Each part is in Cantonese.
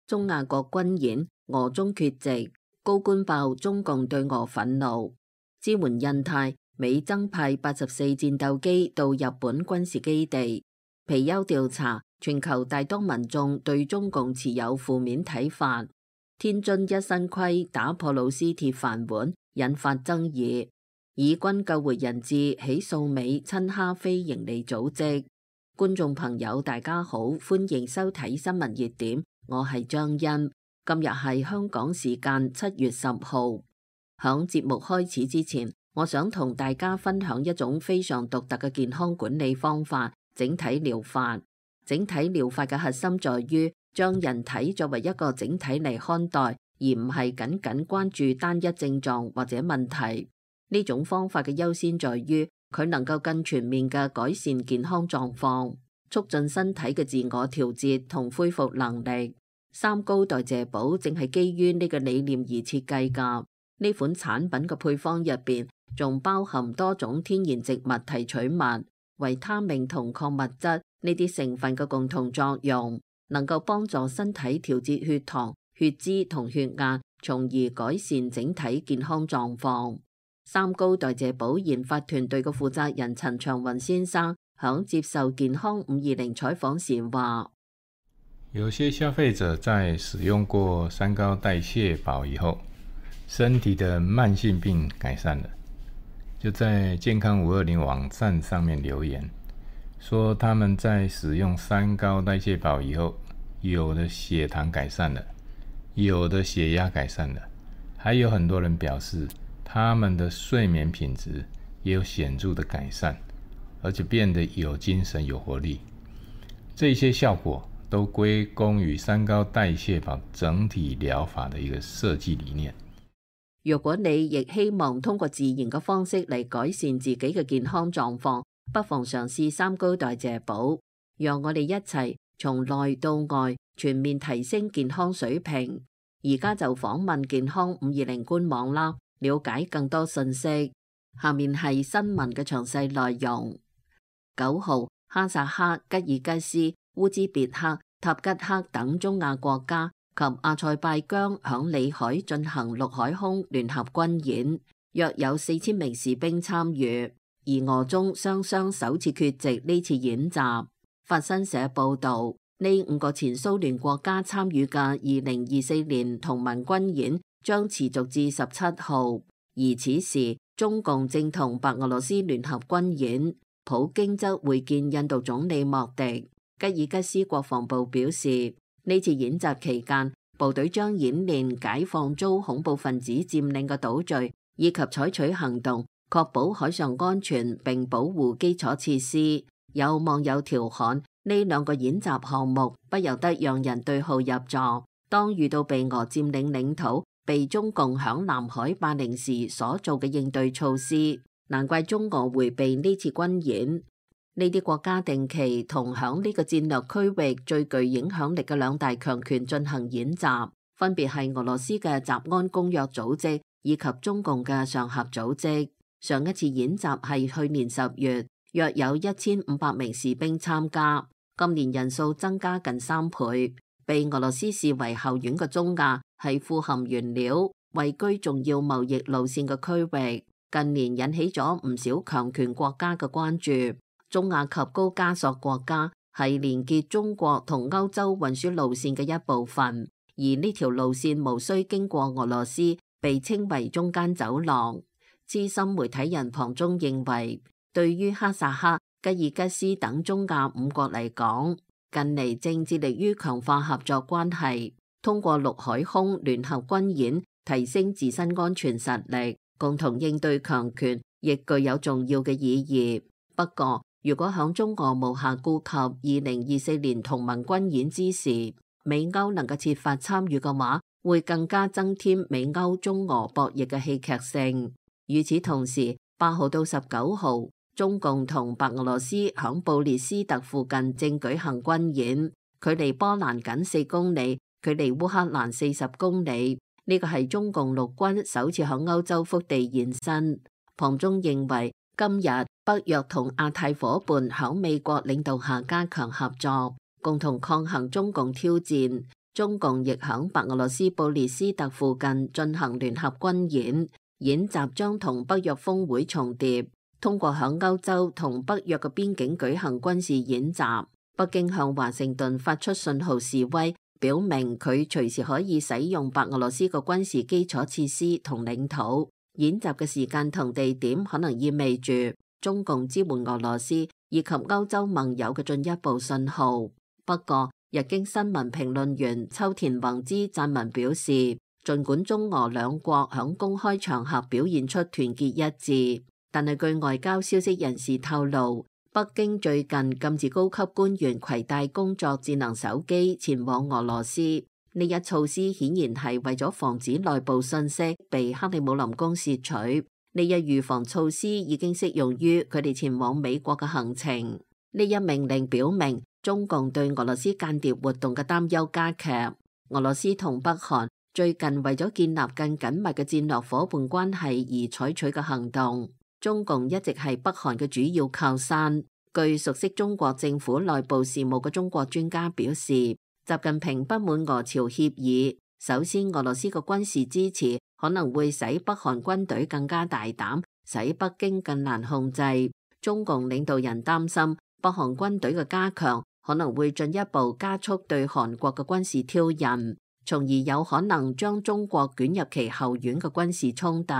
中亞國軍演，俄中缺席，高官爆中共對俄憤怒，支援印太，美增派84戰鬥機到日本軍事基地。皮尤調查，全球大多民眾對中共持有負面睇法。天津一新規打破老師鐵飯碗，引發爭議。以軍救回人質，起訴美親哈非營利組織。觀眾朋友大家好，歡迎收睇新聞熱點，我係張欣。今日係香港時間7月10號。響節目開始之前，我想同大家分享一種非常獨特嘅健康管理方法——整體療法。整體療法嘅核心在於將人體作為一個整體嚟看待，而唔係僅僅關注單一症狀或者問題。呢種方法嘅優先在於佢能夠更全面嘅改善健康狀況，促進身體嘅自我調節同恢復能力。三高代謝寶正係基於呢個理念而設計㗎。呢款產品嘅配方入邊仲包含多種天然植物提取物、維他命同礦物質呢啲成分嘅共同作用，能夠幫助身體調節血糖、血脂同血壓，從而改善整體健康狀況。三高代謝寶研發團隊嘅負責人陳長雲先生響接受健康520採訪時話：有些消費者在使用過三高代謝寶以後，身體的慢性病改善了，就在健康520網站上面留言，說他們在使用三高代謝寶以後，有的血糖改善了，有的血壓改善了，還有很多人表示他們的睡眠品質也有顯著的改善，而且變得有精神有活力。這些效果都歸功於三高代謝寶整體療法的一個設計理念。如果你亦希望通過自然嘅方式嚟改善自己嘅健康狀況，不妨嘗試三高代謝寶，讓我哋一齊從內到外全面提升健康水平。而家就訪問健康520官網啦，了解更多信息。下面係新聞嘅詳細內容。9號，哈薩克、吉爾吉斯、烏茲別克、塔吉克等中亞國家及阿塞拜疆響裏海進行陸海空聯合軍演，約有4000名士兵參與，而俄中雙雙首次缺席呢次演習。法新社報道，呢5個前蘇聯國家參與嘅2024年同盟軍演將持續至17號，而此時中共正同白俄羅斯聯合軍演，普京則會見印度總理莫迪。吉爾吉斯國防部表示，呢次演習期間，部隊將演練解放遭恐怖分子佔領嘅島嶼，以及採取行動確保海上安全並保護基礎設施。有網友調侃，呢2個演習項目不由得讓人對號入座。當遇到被俄佔領領土、被中共響南海霸凌時所做嘅應對措施，難怪中俄迴避呢次軍演。呢啲國家定期同響呢個戰略區域最具影響力嘅2大強權進行演習，分別係俄羅斯嘅集安公約組織以及中共嘅上合組織。上一次演習係去年10月，約有1500名士兵參加，今年人數增加近3倍。被俄羅斯視為後院嘅中亞係富含原料、位居重要貿易路線嘅區域，近年引起咗唔少強權國家嘅關注。中亞及高加索國家係連結中國同歐洲運輸路線嘅一部分，而呢條路線無需經過俄羅斯，被稱為中間走廊。資深媒體人龐中認為，對於哈薩克、吉爾吉斯等中亞5國嚟講，近嚟正致力於強化合作關係，通過陸海空聯合軍演提升自身安全實力，共同應對強權，亦具有重要嘅意義。不過，如果響中俄無暇顧及2024年同盟軍演之時，美歐能夠設法參與嘅話，會更加增添美歐中俄博弈嘅戲劇性。與此同時，8號到19號，中共同白俄羅斯響布列斯特附近正舉行軍演，距離波蘭僅4公里，距離烏克蘭40公里。呢個係中共陸軍首次響歐洲腹地現身。龐中認為，今日北約同亞太夥伴響美國領導下加強合作，共同抗衡中共挑戰。中共亦響白俄羅斯布列斯特附近進行聯合軍演，演習將同北約峰會重疊，通過響歐洲同北約嘅邊境舉行軍事演習。北京向華盛頓發出信號示威，表明佢隨時可以使用白俄羅斯嘅軍事基礎設施同領土。演習嘅時間同地點可能意味住中共支援俄羅斯以及歐洲盟友嘅進一步信號。不過，日經新聞評論員秋田宏之撰文表示，儘管中俄兩國響公開場合表現出團結一致，但係據外交消息人士透露，北京最近禁止高級官員攜帶工作智能手機前往俄羅斯。呢一措施顯然係為咗防止內部信息被克里姆林宮竊取。呢一預防措施已經適用於佢哋前往美國嘅行程。呢一命令表明中共對俄羅斯間諜活動嘅擔憂加劇。俄羅斯同北韓最近為咗建立更緊密嘅戰略夥伴關係而採取嘅行動。中共一直係北韓嘅主要靠山。據熟悉中國政府內部事務嘅中國專家表示，習近平不滿俄朝協議。首先，俄羅斯嘅軍事支持可能會使北韓軍隊更加大膽，使北京更難控制。中共領導人擔心北韓軍隊嘅加強可能會進一步加速對韓國嘅軍事挑釁，從而有可能將中國捲入其後院嘅軍事衝突。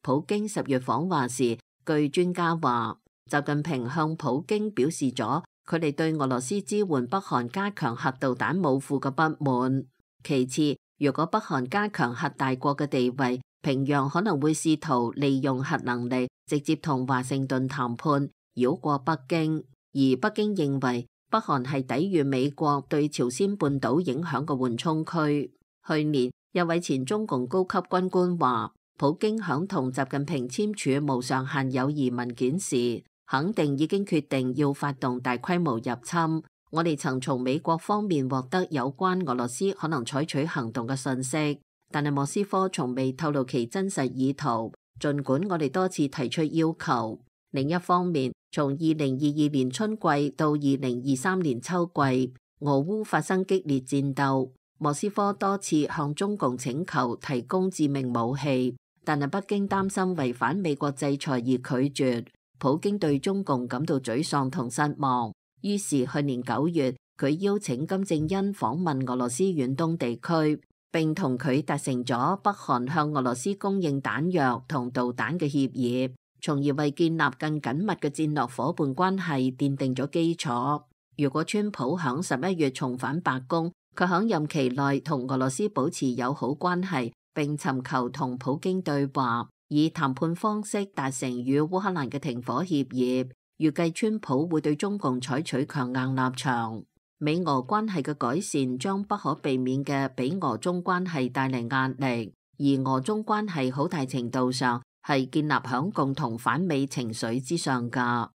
普京10月訪華時，據專家話，習近平向普京表示咗佢哋對俄羅斯支援北韓加強核導彈武庫嘅不滿。其次，如果北韓加強核大國嘅地位，平壤可能會試圖利用核能力直接同華盛頓談判，繞過北京。而北京認為北韓係抵禦美國對朝鮮半島影響嘅緩衝區。去年，一位前中共高級軍官話，普京響同習近平簽署無上限友誼文件時，肯定已經決定要發動大規模入侵。我哋曾從美國方面獲得有關俄羅斯可能採取行動嘅信息，但係莫斯科從未透露其真實意圖，儘管我哋多次提出要求。另一方面，從2022年春季到2023年秋季，俄烏發生激烈戰鬥，莫斯科多次向中共請求提供致命武器，但係北京擔心違反美國制裁而拒絕。普京對中共感到沮喪同失望，於是去年9月，佢邀請金正恩訪問俄羅斯遠東地區，並同佢達成咗北韓向俄羅斯供應彈藥同導彈嘅協議，從而為建立更緊密嘅戰略夥伴關係奠定咗基礎。如果川普響11月重返白宮，佢響任期內同俄羅斯保持友好關係，並尋求同普京對話，以談判方式達成與烏克蘭嘅停火協議。預計川普會對中共採取強硬立場。美俄關係嘅改善將不可避免嘅俾俄中關係帶嚟壓力，而俄中關係好大程度上係建立響共同反美情緒之上㗎。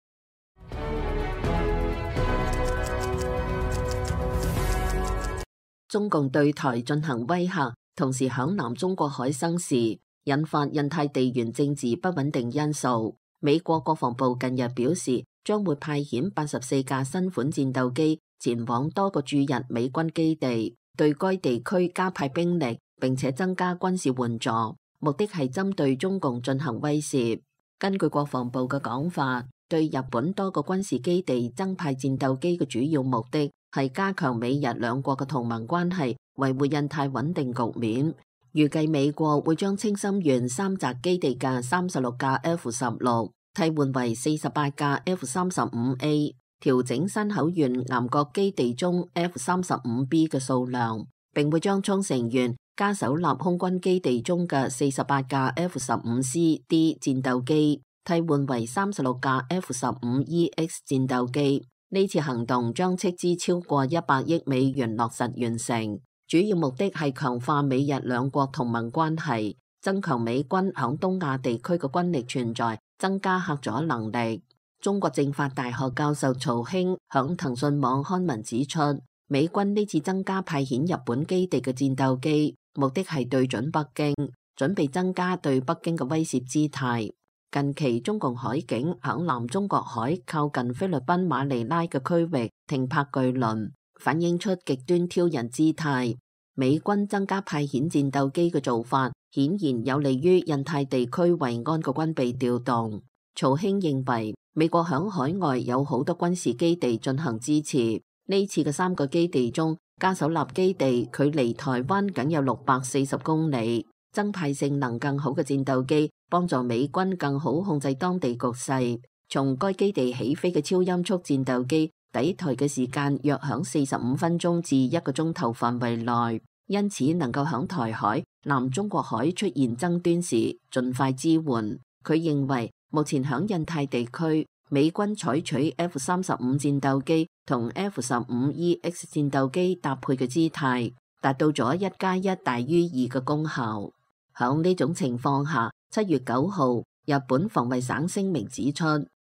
中共對台進行威嚇，同時響南中國海生事，引發印太地緣政治不穩定因素。美國國防部近日表示，將會派遣84架新款戰鬥機前往多個駐日美軍基地，對該地區加派兵力，並且增加軍事援助，目的係針對中共進行威懾。根據國防部嘅講法，對日本多個軍事基地增派戰鬥機嘅主要目的係加強美日兩國嘅同盟關係，維護印太穩定局面。預計美國會將清心園三澤基地嘅36架 F-16替換為48架 F-35A， 調整山口縣岩國基地中 F-35B 嘅數量，並會將沖繩縣加手納空軍基地中嘅48架 F-15CD 戰鬥機替換為36架 F-15EX 戰鬥機。呢次行動將斥資超過100億美元落實完成。主要目的係強化美日兩國同盟關係，增強美軍響東亞地區嘅軍力存在，增加嚇阻能力。中國政法大學教授曹興響騰訊網刊文指出，美軍呢次增加派遣日本基地嘅戰鬥機，目的係對準北京，準備增加對北京嘅威懾姿態。近期中共海警響南中國海靠近菲律賓馬尼拉嘅區域停泊巨輪，反映出極端挑釁姿態。美軍增加派遣戰鬥機嘅做法，顯然有利於印太地區維安嘅軍備調動。曹興認為，美國響海外有好多軍事基地進行支持。呢次嘅3個基地中，加手納基地距離台灣僅有640公里，增派性能更好嘅戰鬥機，幫助美軍更好控制當地局勢。從該基地起飛嘅超音速戰鬥機抵台嘅時間約響45分鐘至1個鐘頭範圍內，因此能夠響台海、南中國海出現爭端時盡快支援。佢認為目前響印太地區，美軍採取 F-35戰鬥機同 F-15EX 戰鬥機搭配嘅姿態，達到咗1+1大於2嘅功效。響呢種情況下，7月9號，日本防衛省聲明指出，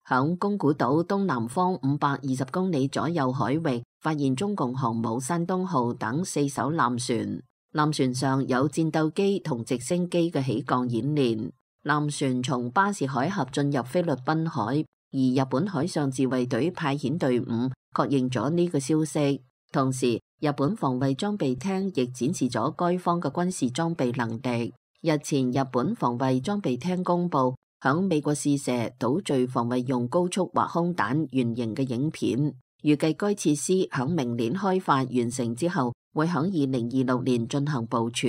響宮古島東南方520公里左右海域發現中共航母山東號等4艘艦船，艦船上有戰鬥機同直升機嘅起降演練。艦船從巴士海峽進入菲律賓海，而日本海上自衛隊派遣隊伍確認咗呢個消息。同時，日本防衛裝備廳亦展示咗該方嘅軍事裝備能力。日前，日本防衛裝備廳公布響美國試射島嶼防衛用高速滑空彈原型嘅影片，預計該設施響明年開發完成之後，會響2026年進行部署，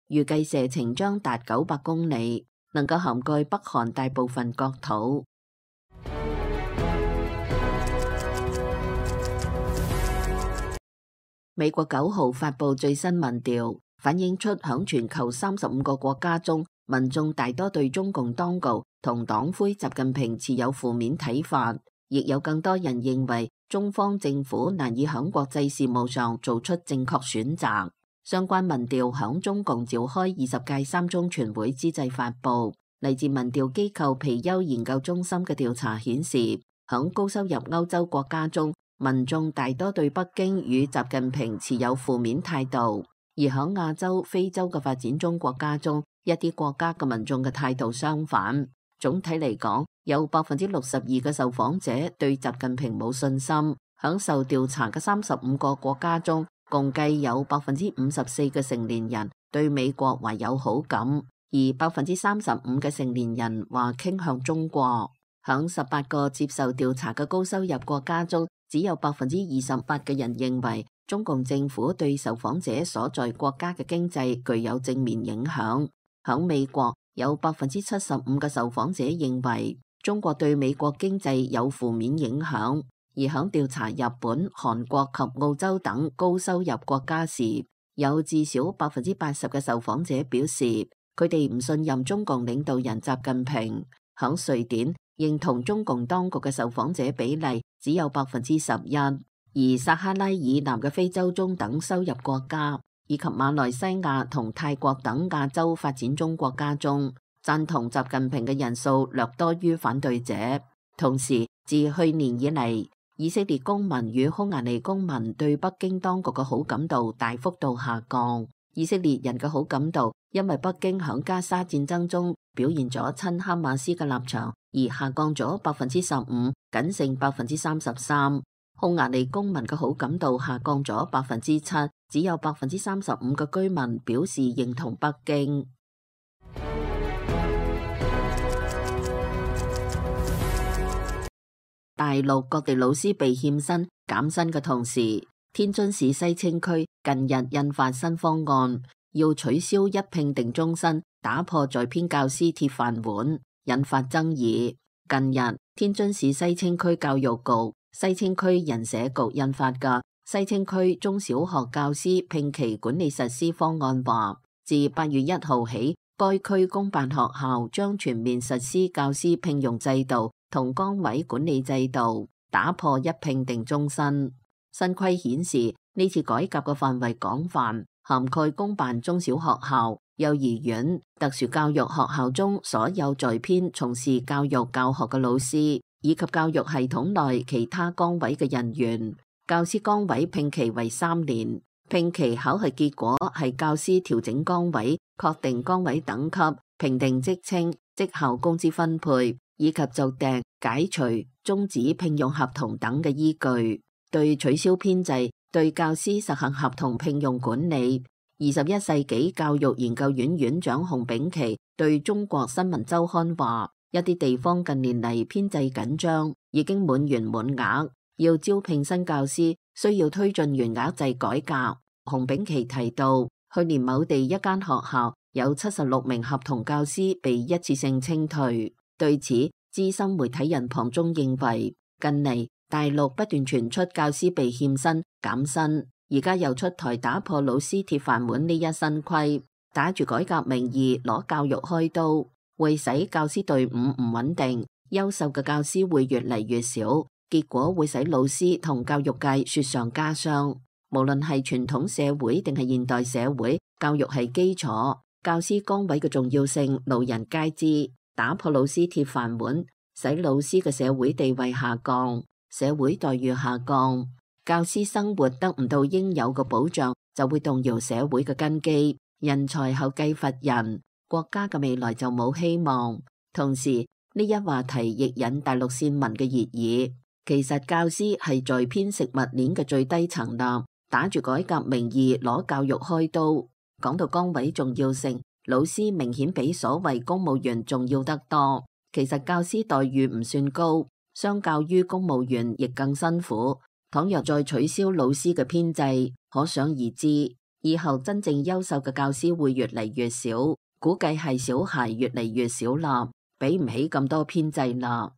預計射程將達900公里。能夠涵蓋北韓大部分國土。美國9號發布最新民調，反映出響全球35個國家中，民眾大多對中共當局同黨魁習近平持有負面睇法，亦有更多人認為中方政府難以響國際事務上做出正確選擇。相關民調響中共召開20屆3中全會之際發布。嚟自民調機構皮尤研究中心嘅調查顯示，響高收入歐洲國家中，民眾大多對北京與習近平持有負面態度；而響亞洲、非洲嘅發展中國家中，一啲國家嘅民眾嘅態度相反。總體嚟講，有62%嘅受訪者對習近平冇信心。響受調查嘅35個國家中，共計有54%嘅成年人對美國懷有好感，而35%嘅成年人話傾向中國。響18個接受調查嘅高收入國家中，只有28%嘅人認為中共政府對受訪者所在國家嘅經濟具有正面影響。響美國，有75%嘅受訪者認為中國對美國經濟有負面影響。而響調查日本、韓國及澳洲等高收入國家時，有至少80%嘅受訪者表示，佢哋唔信任中共領導人習近平。響瑞典，認同中共當局嘅受訪者比例只有11%，而撒哈拉以南嘅非洲中等收入國家，以及馬來西亞同泰國等亞洲發展中國家中，贊同習近平嘅人數略多於反對者。同時，自去年以嚟，以色列公民與匈牙利公民對北京當局嘅好感度大幅度下降。以色列人嘅好感度因為北京響加沙戰爭中表現咗親哈馬斯嘅立場而下降咗15%，僅剩33%。匈牙利公民嘅好感度下降咗7%，只有35%嘅居民表示認同北京。大陸各地老師被欠薪減薪嘅同時，天津市西青區近日印發新方案，要取消一聘定終身，打破在編教師鐵飯碗，引發爭議。近日，天津市西青區教育局、西青區人社局印發嘅西青區中小學教師聘期管理實施方案話，自8月1號起，該區公辦學校將全面實施教師聘用制度同崗位管理制度，打破一聘定終身。新規顯示，呢次改革嘅範圍廣泛，涵蓋公辦中小學校、幼兒園、特殊教育學校中所有在編從事教育教學嘅老師，以及教育系統內其他崗位嘅人員。教師崗位聘期為3年，聘期考核結果係教師調整崗位、確定崗位等級、評定職稱、績效工資分配，以及就訂、解除、終止聘用合同等嘅依據。對取消編制、對教師實行合同聘用管理， 21世紀教育研究院院長熊丙奇對中國新聞週刊話：一啲地方近年嚟編制緊張，已經滿員滿額，要招聘新教師，需要推進員額制改革。熊丙奇提到，去年某地一間學校有76名合同教師被一次性清退。對此，資深媒體人龐中認為，近嚟大陸不斷傳出教師被欠薪、減薪，而家又出台打破老師鐵飯碗呢一新規，打住改革名義攞教育開刀，會使教師隊伍唔穩定，優秀嘅教師會越嚟越少，結果會使老師同教育界雪上加霜。無論係傳統社會定係現代社會，教育係基礎，教師崗位嘅重要性路人皆知。打破老師鐵飯碗，使老師嘅社會地位下降，社會待遇下降，教師生活得唔到應有嘅保障，就會動搖社會嘅根基，人才後繼乏人，國家嘅未來就冇希望。同時，呢一話題亦引大陸線民嘅熱議。其實教師係在編食物鏈嘅最低層啦，打住改革名義攞教育開刀。講到崗位重要性，老師明顯比所謂公務員重要得多。其實教師待遇唔算高，相較於公務員亦更辛苦。倘若再取消老師嘅編制，可想而知，以後真正優秀嘅教師會越嚟越少，估計係小孩越嚟越少啦，比唔起咁多編制啦。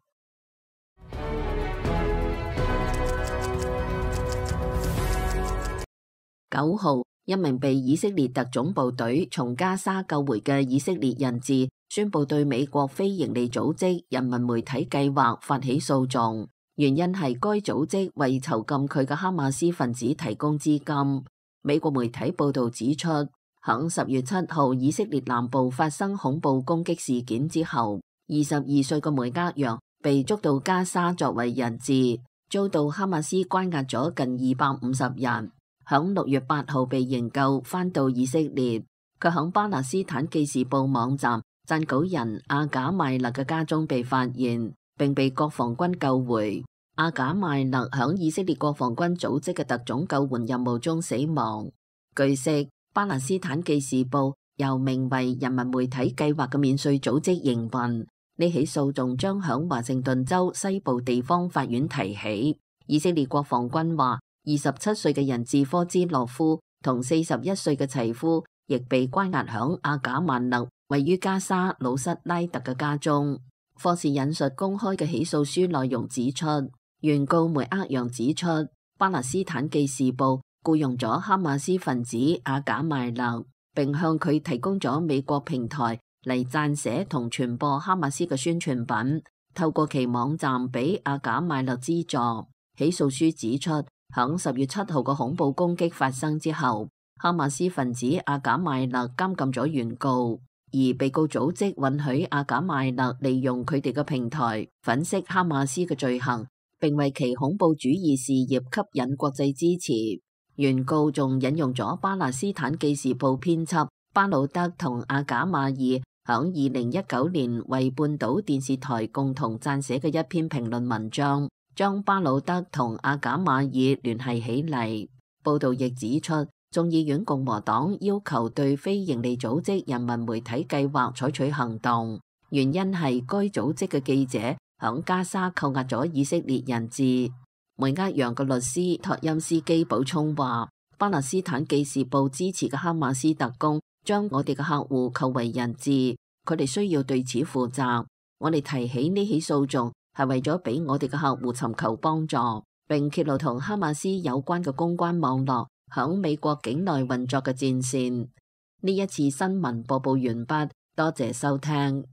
9號，一名被以色列特種部隊從加沙救回嘅以色列人質宣布對美國非營利組織人民媒體計劃發起訴訟，原因係該組織為囚禁佢嘅哈馬斯分子提供資金。美國媒體報道指出，響10月7號以色列南部發生恐怖攻擊事件之後，22歲嘅梅厄揚被捉到加沙作為人質，遭到哈馬斯關押咗近250日。響6月8號被營救，返到以色列。佢響巴勒斯坦記事報網站撰稿人阿賈邁勒嘅家中被發現，並被國防軍救回。阿賈邁勒響以色列國防軍組織嘅特種救援任務中死亡。據悉，巴勒斯坦記事報由名為人民媒體計劃嘅免稅組織營運。呢起訴訟將響華盛頓州西部地方法院提起。以色列國防軍話，27歲嘅人質科茲洛夫同41歲嘅齊夫亦被關押響阿賈曼勒位於加沙魯塞拉特嘅家中。霍士引述公開嘅起訴書內容指出，原告梅厄揚指出，巴勒斯坦記事報僱傭咗哈馬斯分子阿賈邁勒，並向佢提供咗美國平台嚟撰寫同傳播哈馬斯嘅宣傳品，透過其網站俾阿賈邁勒資助。起訴書指出，響10月7號嘅恐怖攻擊發生之後，哈馬斯分子阿賈邁勒監禁咗原告，而被告組織允許阿賈邁勒利用佢哋嘅平台粉飾哈馬斯嘅罪行，並為其恐怖主義事業吸引國際支持。原告仲引用咗巴勒斯坦記事報編輯巴魯德同阿賈馬爾響2019年為半島電視台共同撰寫嘅一篇評論文章，將巴魯德同阿賈馬爾聯繫起嚟。報道亦指出，眾議院共和黨要求對非營利組織人民媒體計劃採取行動，原因係該組織嘅記者響加沙扣押咗以色列人質。梅厄揚嘅律師托欽斯基補充話，巴勒斯坦記事報支持嘅哈馬斯特工將我哋嘅客戶扣為人質，佢哋需要對此負責。我哋提起呢起訴訟係為咗俾我哋嘅客戶尋求幫助，並揭露同哈馬斯有關嘅公關網絡響美國境內運作嘅戰線。呢一次新聞播報完畢，多謝收聽。